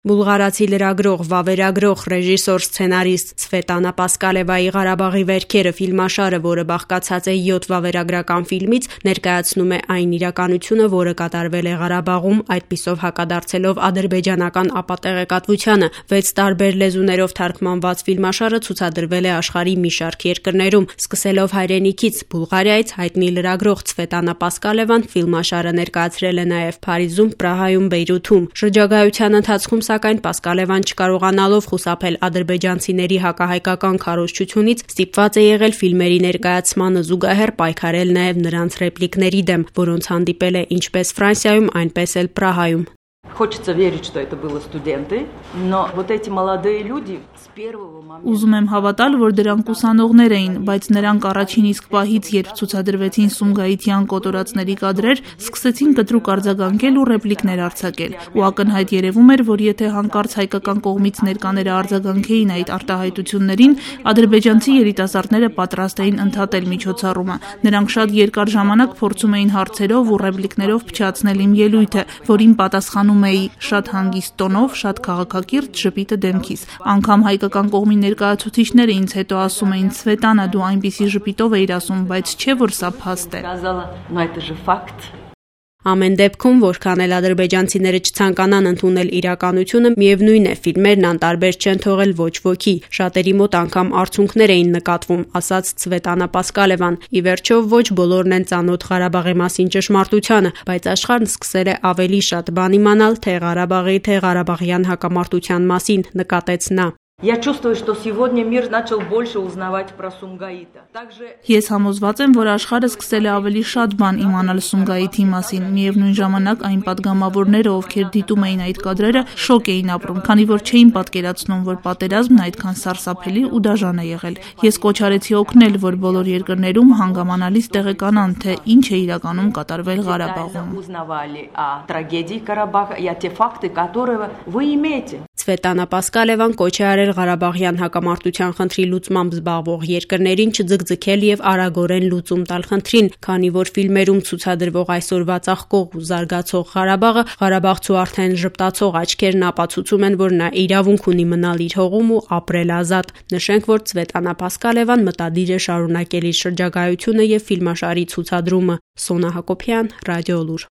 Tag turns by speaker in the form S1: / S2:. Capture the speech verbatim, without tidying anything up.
S1: Բուլղարացի լրագրող, վավերագրող, ռեժիսոր, սցենարիստ Ցվետանա Պասկալևայի «Ղարաբաղի վերքերը» ֆիլմաշարը, որը բաղկացած է յոթ վավերագրական ֆիլմից, ներկայացնում է այն իրականությունը, որը կատարվել է Ղարաբաղում, այդպիսով հակադարձելով ադրբեջանական ապատեղեկատվությանը։ Վեց տարբեր լեզուներով թարգմանված ֆիլմաշարը ցուցադրվել է աշխարհի մի շարք երկրներում, սկսելով հայրենիքից՝ Բուլղարիայից, հայտնի լրագրող Ցվետանա Պասկալևան ֆիլմաշարը ներկայացրել է նաև Փարիզում, Պրահայում, Բեյրութում։ Շրջագայության ընթացքում Սակայն Պասկալևան չկարողանալով խուսափել ադրբեջանցիների հակահայկական քարոզչությունից, ստիպված է եղել ֆիլմերի ներկայացմանը զուգահեռ պայքարել նաև նրանց ռեպլիկների դեմ, որոնց հանդիպել է ինչպես Ֆրանսիայում, այնպես էլ Պրահայում։
S2: Хочется верить, что это были студенты, но вот эти молодые люди с первого момента.
S3: Ուզում եմ հավատալ, որ դրանք ուսանողներ էին, բայց նրանք առաջին իսկ պահից, երբ ցուցադրվեցին Սումգայիթյան կոտորածների կադրեր, սկսեցին կտրուկ արձագանքել ու ռեպլիկներ արձակել։ Ու ակնհայտ երևում էր, որ եթե հանկարծ հայկական կողմից ներկաները արձագանքեին այդ արտահայտություններին, ադրբեջանցի երիտասարդները պատրաստ էին ընդհատել միջոցառումը։ Նրանք շատ երկար ժամանակ փորձում էին հարցերով ու ռեպլիկներով փչացնել իմ ելույթը, որին պատասխանում էի շատ հանգիստ տոնով, շատ քաղաքակիրթ, ժպիտը դեմքիս։ Անգամ հայկական կողմի ներկայացուցիչները ինձ հետո ասում էին՝ Ցվետանա, դու այնպիսի ժպիտով էիր ասում, բայց չէ որ սա փաստ է։
S1: Ամեն դեպքում, որքան էլ ադրբեջանցիները չցանկանան ընդունել իրականությունը, միևնույն է, ֆիլմերն անտարբեր չեն թողել ոչ ոքի։ Շատերի մոտ անգամ արցունքներ էին նկատվում, ասաց Ցվետանա Պասկալևան։ Ի վերջո, ոչ բոլորն են ծանոթ Ղարաբաղի մասին ճշմարտությանը, բայց աշխարհն սկսել է ավելի շատ բան իմանալ թե Ղարաբաղի, թե ղարաբաղյան հակամարտության մասին, նկատեց նա։
S2: Я чувствую, что сегодня мир начал больше узнавать про Сумгаита. Также
S3: Ես համոզված եմ, որ աշխարհը սկսել է ավելի շատ բան իմանալ Սումգայիթի մասին։ Միևնույն ժամանակ այն падգամավորները, ովքեր դիտում էին այդ կադրերը, շոկ էին ապրում, քանի որ չէին պատկերացնում, որ պատերազմն այդքան սարսափելի ու դաժան է եղել։ Ես կոչ արեցի օգնել, որ բոլոր երկրներում հանգամանալից տեղեկանան, թե ինչ է իրականում կատարվել Ղարաբաղում։
S2: Узнавали о трагедии Карабаха и о те факты, которые вы имеете.
S1: Ցվետանա Պասկալևան կոչ է արել Ղարաբաղյան հակամարտության խնդրի լուծմամբ զբաղվող երկրներին չձգձգել եւ արագորեն լուծում տալ խնդրին, քանի որ ֆիլմերում ցուցադրվող այսօրվա ծաղկող ու զարգացող Ղարաբաղը Ղարաբաղցու արդեն ժպտացող աչքերն ապացուցում են, որ նա իրավունք ունի մնալ իր հողում ու ապրել ազատ։ Նշենք, որ Ցվետանա Պասկալևան մտադիր է շարունակել իր շրջագայությունը եւ ֆիլմաշարի ցուցադրումը։ Սոնա Հակոբյան, Ռադիոլուր։